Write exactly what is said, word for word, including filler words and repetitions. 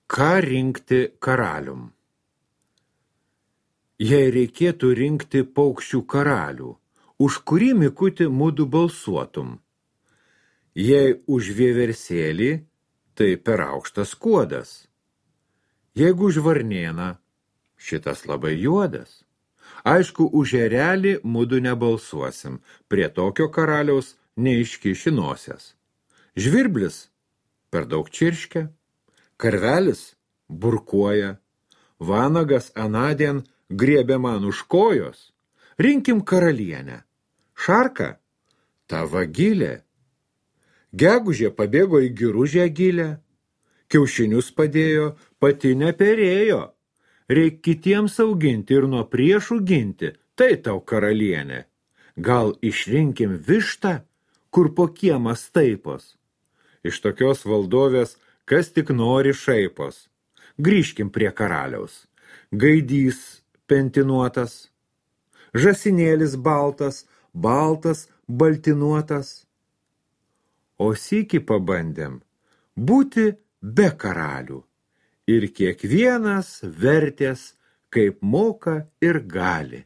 Ką rinkti karalium? Jei reikėtų rinkti paukščių karalių, už kurį Mikutį mudu balsuotum? Jei už vieversėlį, tai per aukštas kuodas. Jeigu už varnėną, šitas labai juodas. Aišku, už erelį mudu nebalsuosim, prie tokio karaliaus neiškiši nosies. Žvirblis per daug čirškia, karvelis burkuoja, vanagas anadien griebė man už kojos. Rinkim karalienę. Šarka, ta vagilė. Gegužė pabėgo į giružę gilę, kiaušinius padėjo, pati neperėjo. Reik kitiems auginti ir nuo priešų ginti, tai tau karalienė. Gal išrinkim vištą, kur po kiemą staipos. Iš tokios valdovės kas tik nori šaipos. Grįžkim prie karaliaus. Gaidys pentinuotas, žasinėlis baltas, baltas baltinuotas. O sykį pabandėm būti be karalių ir kiekvienas vertės, kaip moka ir gali.